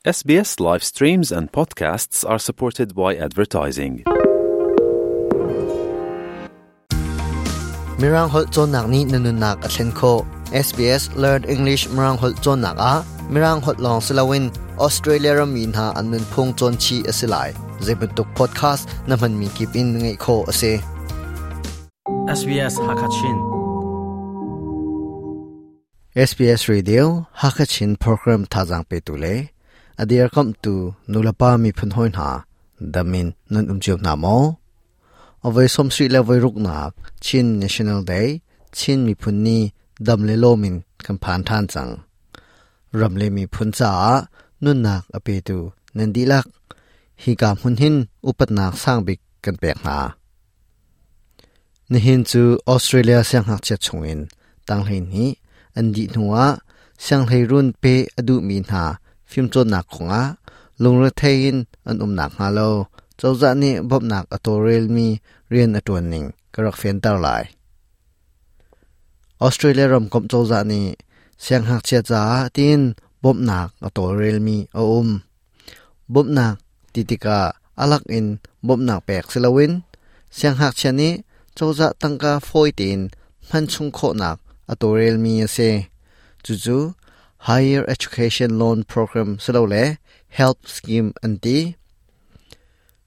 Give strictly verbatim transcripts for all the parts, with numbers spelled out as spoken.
S B S live streams and podcasts are supported by advertising. Mirang holh cawnnak nih na nunnak a thlen khawh. S B S Learn English Mirang holh cawnnak ah Mirang holh lawng si loin Australia rammi hna an nunphung cawn chih a si lai. Zeibantuk podcast na hmanmi kip in ngaih khawh a si. S B S Hakachin. S B S Radio Hakachin program thazang pe tu le adir kam tu nulapa mi phun hoi hna, damin nan um chiu na mo? Avoi som sri le voi ruk nak Chin National Day, Chin mi phun ni dam le lomin kan phan than chang. Ram le mi phun cha nun nak ape tu nan di lak hi ka hun hin upat nak sang bik kan pek na. Nihin chu Australia siang hak che chungin tang hein hi an di nuwa siang hlei run pe adu mi hna phim chon nak khonga lungre thein an um nak nga lo chawza ni bob nak atorel mi rian atuan ning karak fen tar lai. Australia ram kom chawza ni siang hak chia cha tin bob nak atorel mi a um. Bob nak titika alak in bob nak pek silawin siang hak chia ni chawza tangka foi tin man chung kho nak atorel mi ase. Chu chu Higher Education Loan Program silo le HELP scheme anti.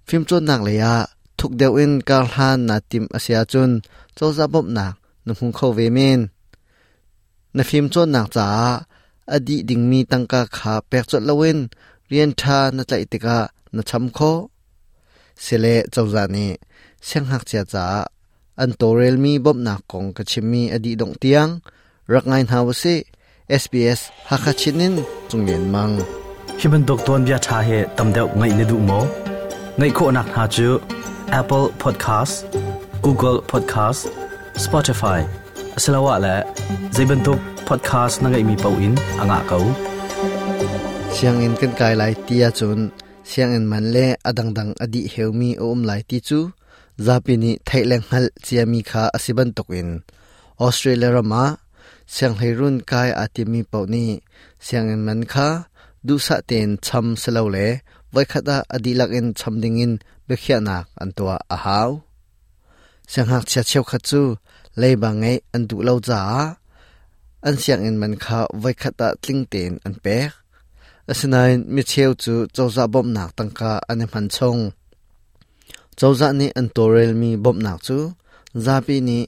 Phim chon nak le ya thuk deuh in kar hlan na tim asia chun chawza bop nak na hung kho ve men. Na phim chon nak cha adi ding mi tangka kha pek chot lawin rian tha na tlai tika na cham kho sele. Chawza ni siang hak chia cha an torel mi bop nak kong ka chimmi adi dong tiang rak ngai hna wase. S B S Hakachinin chunglen mang. Hi bantuk ton bia tha he tam deuh ngai ne du mo? Ngai kho nak ha chu Apple Podcast, Google Podcast, Spotify asalawa la zaibantuk podcast na ngai mi pau in anga kau. Siang in kan kai lai tia chun siang in man le adang dang adi heumi om lai ti chu zapi ni thaileng hal chiami kha asiban tokin. Australia rama siang heirun kai atimi pau ni siang in man kha du sa ten cham selo le vai khata adi lak in cham ding in bekhia nak an tua a haw. Siang hak chia cheu kha chu leiba ngai an du lo cha an siang in man kha vai khata tling ten an pek. Asinain mi cheu chu chawza bom nak tangka an man chong. Chawza ni an torel mi bom nak chu zapi ni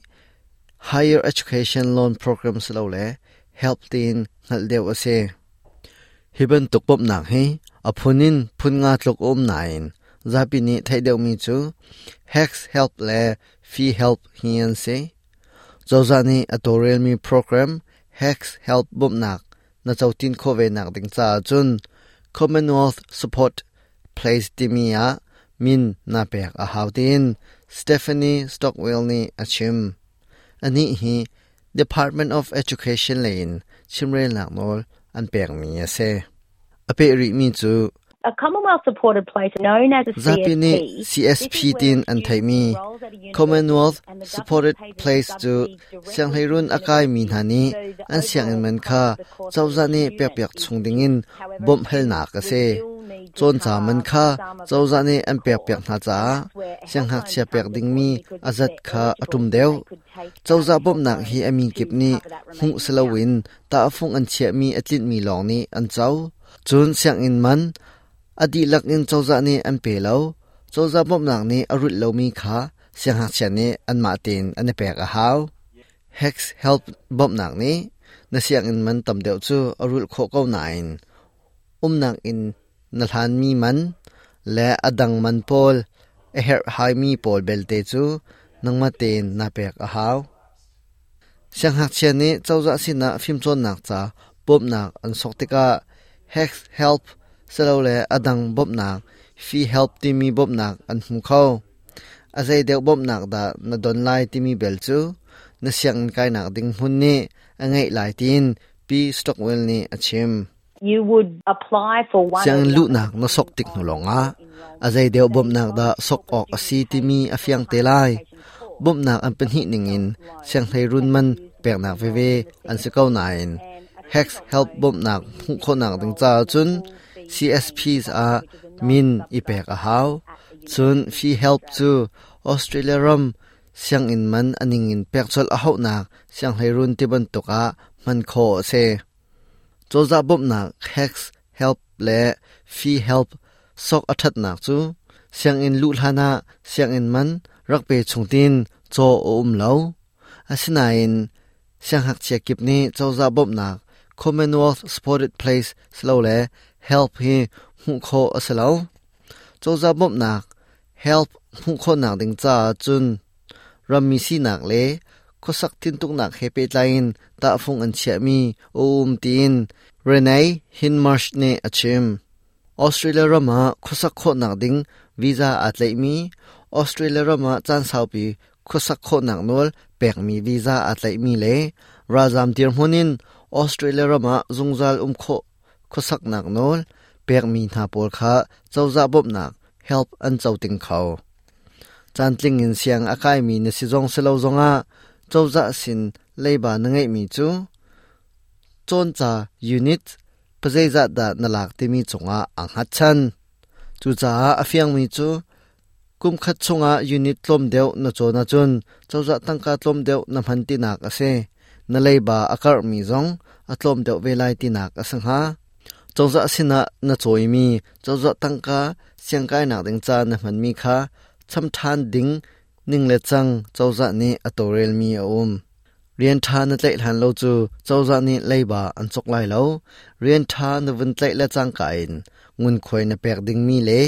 Higher Education Loan Program slo le HELP tin ngal deuh ase. Hiban tuk bom nak hi aphunin phun nga tlok om nain zapi ni thai deuh mi chu HECS HELP le Fee HELP hi an se. Chawza ni atorel mi program HECS HELP bom nak na chautin kho ve nak ding cha chun Commonwealth Support Place timia min na pek a hautin Stephanie Stockwell ni achim. Ani hi Department of Education lane chimrel nak nol an pek mi ase. Ape ri mi chu A Commonwealth supported place known as a zapi ni C S P. C S P tin an thaimi Commonwealth Supported Place chu siang hleirun akai mi hna ni an siang in man kha chawza ni pek pek chung ding in bom hel nak ase. Chon cha man kha chawza ni an pek pek hna cha siang hak chia pek ding mi azat kha atum deu. Chawza bom nak hi ami kip ni hu selawin ta afung an chia mi atlin mi long ni an chaw chun siang in man adi lak in chawza ni an pe lo. Chawza bom nak ni arut lo mi kha siang hak chia ni an ma tin an pek a haw. HECS HELP bom nak ni na siang in man tam deuh chu arul kho ko nain um nak in na hlan mi man le adang man pol a her hai mi pol belte chu nangma ten na pek a haw. Siang hak chia ni chawza sina phim chon nak cha bom nak an sok tika HECS HELP selo le adang bom nak Fee HELP ti mi bom nak an hmu kho. Azai deuh bom nak da na don lai ti mi bel chu na siang kai nak ding hun ni angai lai tin P Stockwell ni achim. You would apply for one Siang lu nak na sok tik nu longa azai deuh bom nak da sok ok asi ti mi afiang te lai. Bom nak an pen hi ning in siang hlei run man pek nak ve ve an se kau nain HECS HELP bom nak hu kho nak ding cha chun. C S Ps ah min i pek a hau. Cun Fee Help cu Australia ram sianginn man aning in pek chol a haunak sianghleirun ti bantuk ah hman khawh a si. Cozah bawmhnak HECS Help le Fee Help sok a thatnak cu sianginn luh hlan ah sianginn man rak pe chung tin chaw a um lo. Asinain siangngakchia kip nih cozah bawmhnak Commonwealth Supported Place silole Help hi hmuh khawh a si lo. Cozah bawmhnak Help hmuh khawhnak ding caah cun rammi sinak le khuasak tintuknak he pehtlai in tahfung an chiahmi a um tiin Renee Hindmarsh nih a chim. Australia ram ah khuasak khawhnak ding visa aa tlaihmi, Australia ram ah caan saupi khuasak khawhnak nawl pekmi visa aa tlaihmi le ralzam dirhmun in Australia ram ah zungzal um khawh khuasaknak nawl pekmi hna pawl kha cozah bawmhnak Help an co ting kho. Caan tling in siang a kaimi na si zong silo zongah cozah sin leiba na ngeihmi cu cawnca unit pazeizat dah na lak timi cungah aa hngatchan. Cucaah a fiangmi cu kum khat chungah unit tlawm deuh na cawn ahcun cozah tangka tlawm deuh na hman tinak a si. Na leiba a karhmi zong a tlawm deuh ve lai tinak a si hnga. Cozah sinah na cawimi cozah tangka siangkainak ding ca na hmanmi kha cham ṭhan ding ning le cang cozah nih a tawlrelmi a um. Rian ṭha na tlaih hlan lo cu cozah nih leiba an cawk lai lo. Rian ṭha na vun tlaih le cangka in ngunkhuai na pek dingmi le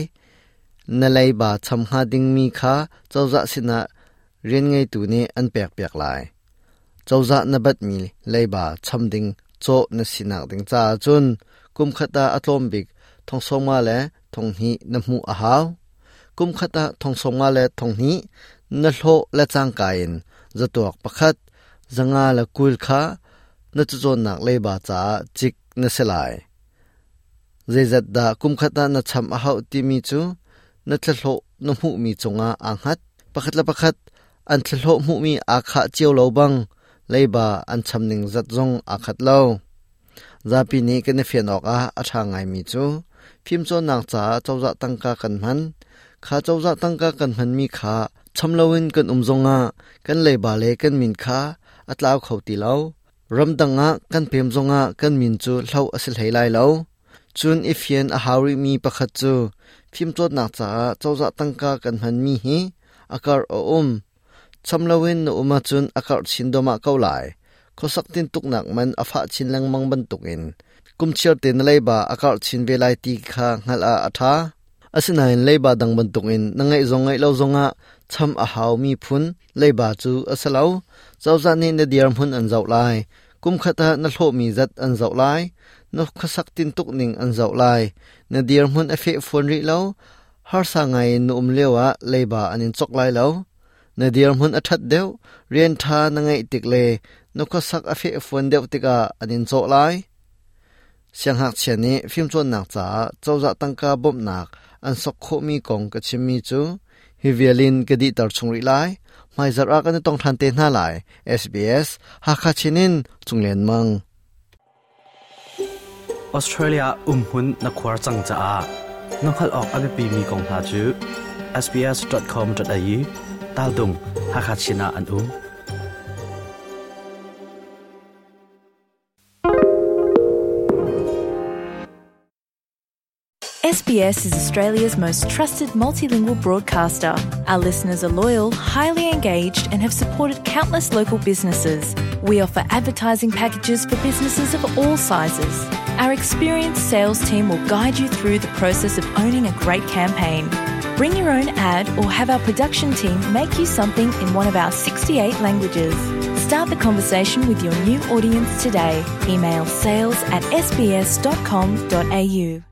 na leiba cham hnga dingmi kha cozah sinah rian ngeitu nih an pekpiak lai. Cozah na batmi leiba cham ding cawh na sinak ding caah cun kum khat ah a tlawm bik thong sawmnga le thong hnih na hmuh a hau. Kum khat ah thong sawmnga le thong hnih na hlawh le cangka in zatuak pakhat zanga le kul kha na cacawnnak leiba caah cik na si lai. Zeizat dah kum khat ah na cham a hauh timi cu na thlahlawh na hmuhmi cungah aa hngat. Pakhat le pakhat an thlahlawh hmuhmi aa khah cio lo bang leiba an cham ning zat zong aa khat lo. Zapi nih kan i fian awk ah a ṭha ngaimi cu fimcawnnak caah cozah tangka kan hman. Kha cozah tangka kan hmanmi kha cham loin kan um zongah kan leiba le kan min kha a tlau kho ti lo. Ramdang ah kan pem zongah kan min cu hloh a si hlei lai lo. Cun i fian a hau rihmi pakhat cu fimcawnnak caah cozah tangka kan hmanmi hi a karh a um. Cham loin na um ahcun a karh chin dawmah ko lai. Khuasak tintuknak man a fah chin lengmang bantukin kum chiar te na leiba a karh chin ve lai ti kha hngalh ah a ṭha. Asinain leiba dang bantukin na ngeih zong ngeih lo zongah cham a haumi phun leiba cu a si lo. Cozah nih na dirhmun an zoh lai. Kum khat ah na hlawhmi zat an zoh lai. Na khuasak tintuk ning an zoh lai. Na dirhmun a feh fawn rih lo. Harsa ngai in na um lio ah leiba an in cawk lai lo. Na dirhmun a ṭhat deuh, rian ṭha na ngeih tik le na khuasak a feh fawn deuh tikah an in cawh lai. Siangngakchia nih fimcawnnak caah cozah tangka bawmhnak an sok khawhmi kong ka chimmi cu hi vialin ka dihter chung rih lai. Hmaizarh ah kan i tong ṭhan te hna lai. S B S Hakha Chin in Cunglen Mang. Australia umhmun na khuar cang caah na hngalh awk a biapimi kong hna cu S B S dot com dot A U tal dung Hakha Chin ah an um. S B S is Australia's most trusted multilingual broadcaster. Our listeners are loyal, highly engaged, and have supported countless local businesses. We offer advertising packages for businesses of all sizes. Our experienced sales team will guide you through the process of owning a great campaign. Bring your own ad or have our production team make you something in one of our sixty-eight languages. Start the conversation with your new audience today. Email sales at S B S dot com dot A U.